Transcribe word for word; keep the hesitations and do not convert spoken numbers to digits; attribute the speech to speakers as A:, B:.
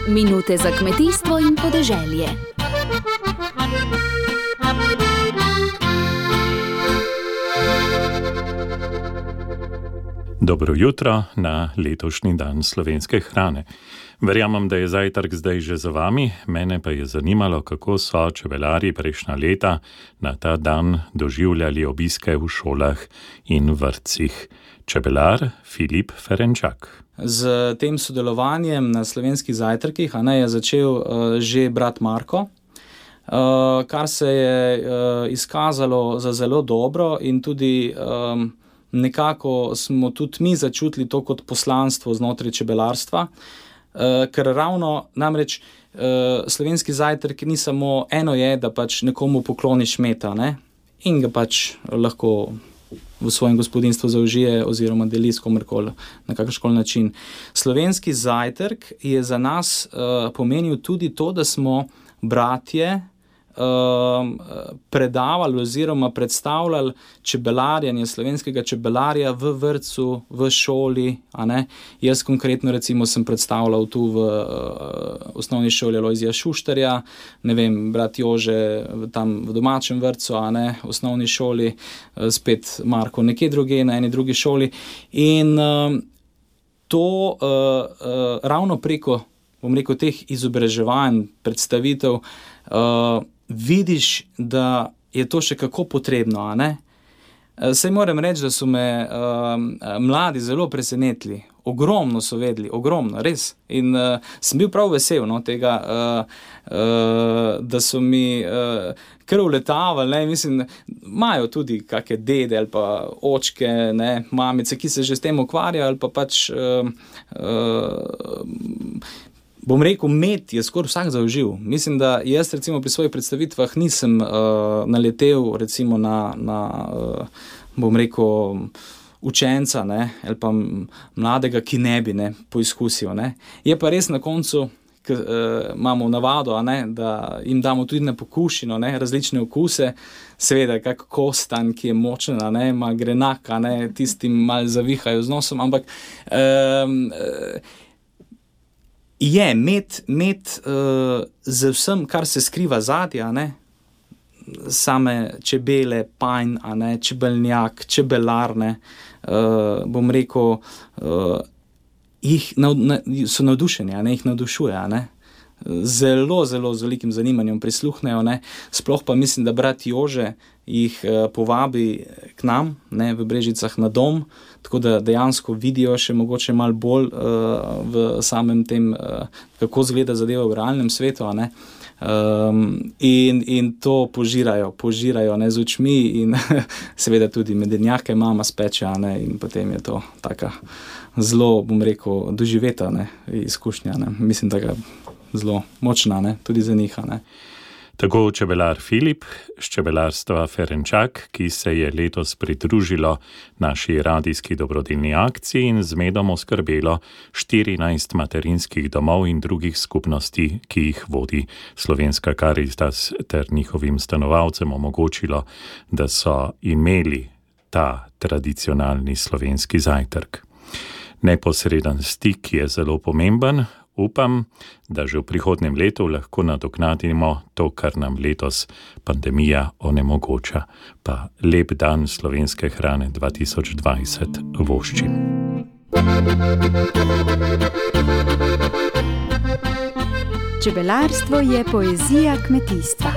A: Minute za kmetijstvo in podeželje.
B: Dobro jutro na letošnji dan slovenske hrane. Verjamem, da je zajtrk zdaj že za vami, mene pa je zanimalo, kako so čebelarji prejšnja leta na ta dan doživljali obiske v šolah in vrtcih. Čebelar Filip Ferenčak.
C: Z tem sodelovanjem na slovenskih zajtrkih a ne, je začel uh, že brat Marko, uh, kar se je uh, izkazalo za zelo dobro in tudi um, nekako smo tudi mi začutili to kot poslanstvo znotraj čebelarstva, uh, ker ravno namreč uh, slovenski zajtrk ni samo eno je, da pač nekomu pokloniš meta, ne, in ga pač lahko v svojem gospodinstvu zaužije oziroma deli s komerkoli na kakrškoli način. Slovenski zajtrk je za nas uh, pomenil tudi to, da smo bratje uh, predavali oziroma predstavljali čebelarjenje slovenskega čebelarja v vrtcu, v šoli, a ne. Jaz konkretno recimo sem predstavljal tu v uh, osnovni šoli Alojzija Šuštarja, ne vem, brat Jože tam v domačem vrtcu, a ne, osnovni šoli, uh, spet Marko nekje druge, na eni drugi šoli. In uh, to uh, uh, ravno preko, bom rekel, teh izobraževanj, predstavitev, uh, vidiš, da je to še kako potrebno, a ne? Saj moram reči, da so me uh, mladi zelo presenetili. Ogromno so vedeli, ogromno, res. In uh, sem bil prav vesel, no, tega, uh, uh, da so mi uh, kar uletavali, ne, mislim, imajo tudi kakšne dede ali pa očke, ne, mamice, ki se že s tem ukvarjajo, ali pa pač uh, uh, bom rekel, med je skoraj vsak zaužil. Mislim, da jaz recimo pri svojih predstavitvah nisem uh, naletel recimo na, na uh, bom rekel, učenca, ne, ali pa mladega, ki ne bi, ne, poizkusil, ne. Je pa res na koncu, k, uh, imamo navado, a ne, da jim damo tudi na pokušino, ne, različne okuse, seveda kak kostan, ki je močen, a ne, ima grenak, a ne, tistim malo zavihajo z nosom, ampak um, uh, je med, med uh, z vsem, kar se skriva zadnje, a ne, same čebele, panj, a ne, čebelnjak, čebelarne, uh, bom rekel, uh, jih nav, na, so navdušeni, a ne, jih navdušuje, a ne, zelo, zelo z velikim zanimanjem prisluhnejo, ne, sploh pa mislim, da brat Jože jih uh, povabi k nam, ne, v Brežicah na dom, tako da dejansko vidijo še mogoče malo bolj uh, v samem tem, uh, kako zgleda zadeva v realnem svetu, a ne. Um, in, in to požirajo, požirajo, ne, z očmi in seveda tudi medenjake mama speče, a ne, in potem je to taka zelo, bom rekel, doživeta, ne, izkušnja, ne. Mislim, da ga zelo močna, ne, tudi za njih, a ne.
B: Tako čebelar Filip z čebelarstva Ferenčak, ki se je letos pridružilo naši radijski dobrodelni akciji in z medom oskrbelo štirinajst materinskih domov in drugih skupnosti, ki jih vodi Slovenska Karitas, ter njihovim stanovalcem omogočilo, da so imeli ta tradicionalni slovenski zajtrk. Neposreden stik je zelo pomemben. Upam, da že v prihodnjem letu lahko nadoknadimo to, kar nam letos pandemija onemogoča. Pa lep dan slovenske hrane dva tisoč dvajset voščim.
A: Čebelarstvo je poezija kmetijstva.